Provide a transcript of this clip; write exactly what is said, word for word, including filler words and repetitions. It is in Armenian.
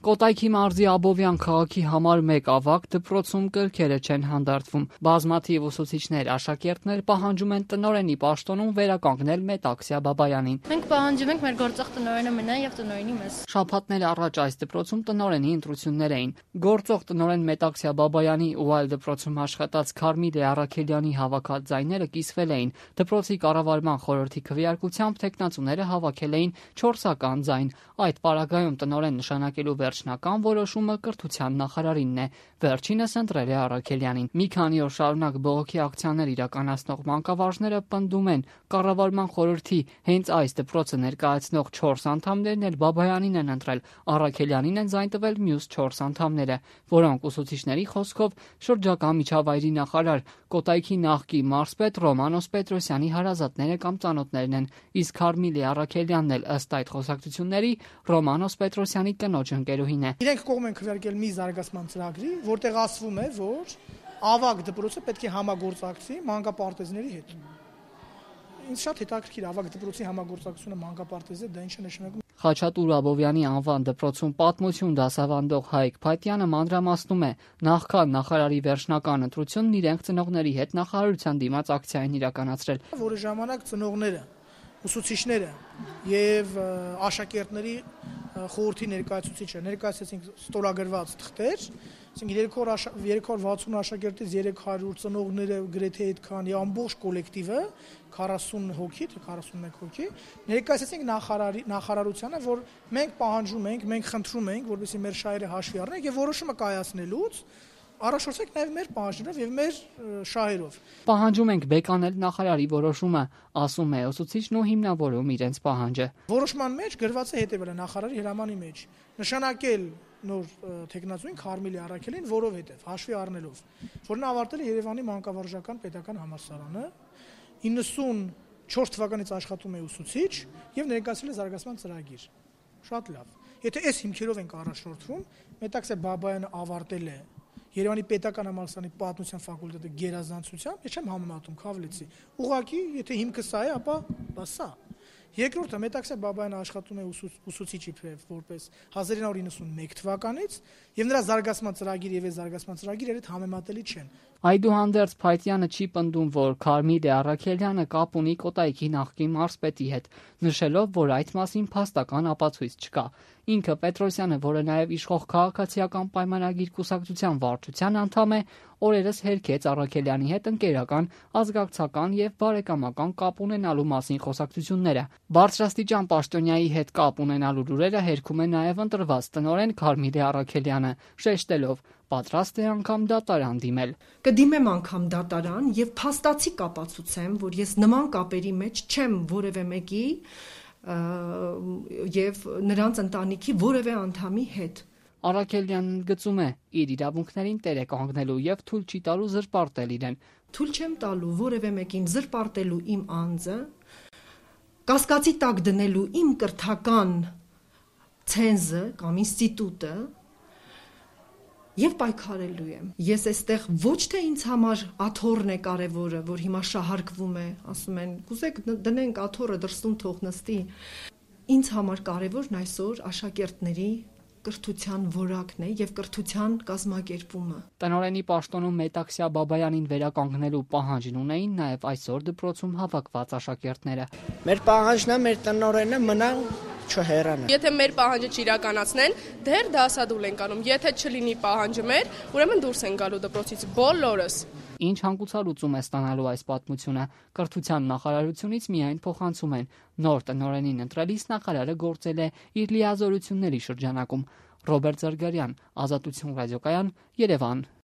Կոտայքի մարզի Աբովյան քաղաքի համար մեկ ավագ դպրոցում կրքերը չեն հանդարտվում։ Բազմաթիվ ուսուցիչներ, աշակերտներ պահանջում են տնօրենի պաշտոնում վերականգնել Մետաքսյա Բաբայանին։ Մենք պահանջում ենք մեր գործող տնօրենը մնա եւ տնօրենի մեզ։ Շաբաթներ առաջ այս դպրոցում տնօրենի ընտրություններ էին։ Գործող տնօրեն Մետաքսյա Բաբայանի ու այլ դպրոցում աշխատած Քարմիլե Առաքելյանի հավաքած ձայները կիսվել էին։ Դպրոցի կառավարման խորհրդի քվեարկությամբ տեխնացուները հավաքել էին չորսական ձայն։ Այդ պարագայում տնօրեն նշանակելու վերջնական որոշումը կրթության նախարարինն է։ Վերջինս ընտրել է Առաքելյանին։ Մի քանի օր շարունակ բողոքի ակցիաներ իրականացնող մանկավարժները պնդում են, կառավարման խորհրդի հենց այս դպրոցը ներկայացնող չորս անդամներն էլ Բաբայանին են ընտրել, Առաքելյանին են ձայն տվել մյուս չորս անդամները, որոնք ուսուցիչների խոսքով շրջակա միջավայրի նախարար Կոտայքի նախկին մարզպետ Ռոմանոս Պետրոսյանի հարազատները կամ ծանոթներն են, իսկ Քարմիլե Առաքելյանն էլ ըստ այդ խոսակցությունների Ռոմանոս Պետրոսյանի կնոջ ընկերուհին է։ Իրենք կողմ են քվեարկել մի զարգացման ծրագրի, որտեղ ասվում է, որ ավագ դպրոցը պետք է համագործակցի մանկապարտեզների հետ։ Ինձ շատ հետաքրքիր ավագ դպրոցի համագործակցությունը մանկապարտեզի, դա ինչ է նշանակում։ Խաչատուր Աբովյանի անվան դպրոցում պատմություն դասավանդող Հայկ Փաթյանը մանրամասնում է, նախքան նախարարի վերջնական ընտրությունն իրենք ծնողների հետ նախարարության դիմաց ակցիա են իրականացրել, որի ժամանակ ծնողները, ուսուցիչները եւ աշակերտների խորհրդի ներկայացուցիչը ներկայացրեցին ստորագրված թղթեր, ասենք երեք հարյուր վաթսուն աշակերտից երեք հարյուր ծնողները գրեթե այդքան եւ ամբողջ կոլեկտիվը քառասուն հոգի, թե քառասունմեկ հոգի ներկայացրեցինք նախարարի նախարարությանը, որ մենք պահանջում ենք, մենք խնդրում ենք, որպեսզի մեր շահերը հաշվի առնենք եւ որոշումը կայացնելուց առաջորդեք նաև մեր պահանջներով եւ մեր շահերով։ Պահանջում ենք բեկանել նախարարի որոշումը, ասում է ուսուցիչն ու հիմնավորում իրենց պահանջը։ Որոշման մեջ գրված է հետևելը նախարարի հրամանի մեջ. նշանակել նոր տեխնացուին Քարմիլե Առաքելին, որովհետեւ հաշվի առնելով, որ նա ավարտել է Երևանի մանկավարժական պետական համալսարանը, իննսունչորս թվականից աշխատում է ուսուցիչ եւ ներկայացրել է զարգացման ծրագիր։ Շատ լավ։ Եթե այս հիմքերով ենք առաջնորդվում, Մետաքսյա Բաբայանը ավարտել է Երևանի պետական համալսարանի պատմության ֆակուլտետը գերազանցությամբ, ես չեմ համեմատում Քավլեցի։ Ուղղակի, եթե հիմքը սա է, ապա դա սա։ Երկրորդը Մետաքսյա Բաբայանը աշխատում է ուսուցիչի որպես հազար ինը հարյուր իննսունմեկ թվականից եւ նրա զարգացման ծրագիրը եւ այս զարգացման ծրագիրը երբ համեմատելի չեն։ Այդուհանդերձ Փայտյանը չի պնդում, որ Քարմիլե Առաքելյանը կապ ունի Կոտայքի նախկին մարզպետի հետ, նշելով, որ այդ մասին փաստական ապացույց չկա։ Ինքը Պետրոսյանը, որը նաև իշխող քաղաքացիական պայմանագիր կուսակցության վարչության անդամ է, օրերս հերքեց Առաքելյանի հետ ընկերական, ազգակցական եւ բարեկամական կապ ունենալու մասին խոսակցությունները։ Բարձրաստիճան պաշտոնյայի հետ կապ ունենալու լուրերը հերքում է նաև ընտրված տնօրեն Քարմիլե Առաքելյանը, շեշտելով, պատրաստ է անգամ դատարան դիմել։ Կդիմեմ անգամ դատարան եւ փաստացի կապացուցեմ, որ ես նման կապերի մեջ չեմ որևէ մեկի եւ նրանց ընտանիքի որևէ անդամի հետ։ Առաքելյանն գծում է իր իրավունքներին տեր է կանգնելու եւ թույլ չի տալու զրպարտել իրեն։ Թույլ չեմ տալու որևէ մեկին զրպարտելու իմ անձը, կասկածի տակ դնելու իմ կրթական ցենզը կամ ինստիտուտը եւ պայքարելու եմ։ Ես այստեղ ոչ թե ինձ համար աթոռն է կարևորը, որ հիմա շահարկվում է, ասում են, կուզեք դնենք աթոռը դրսում թող նստի։ Ինձ համար կարևորն այսօր աշակերտների կրթության որակն է եւ կրթության կազմակերպումը։ Տնօրենի պաշտոնում Մետաքսյա Բաբայանին վերականգնելու պահանջն ունեին նաեւ այսօր դպրոցում հավաքված աշակերտները։ Մեր պահանջն է մեր տնօրենը մնա չհեռանա։ Եթե մեր պահանջը չիրականացնեն, դեռ դասադուլ ենք անում։ Եթե չլինի պահանջը մեր, ուրեմն դուրս են գալու դպրոցից բոլորս։ Ինչ հանգուցալուծում է ստանալու այս պատմությունը։ Կրթության նախարարությունից միայն փոխանցում են։ Նոր տնօրենին ընտրելիս նախարարը գործել է իր լիազորությունների շրջանակում։ Ռոբերտ Զարգարյան, Ազատություն ռադիոկայան, Երևան։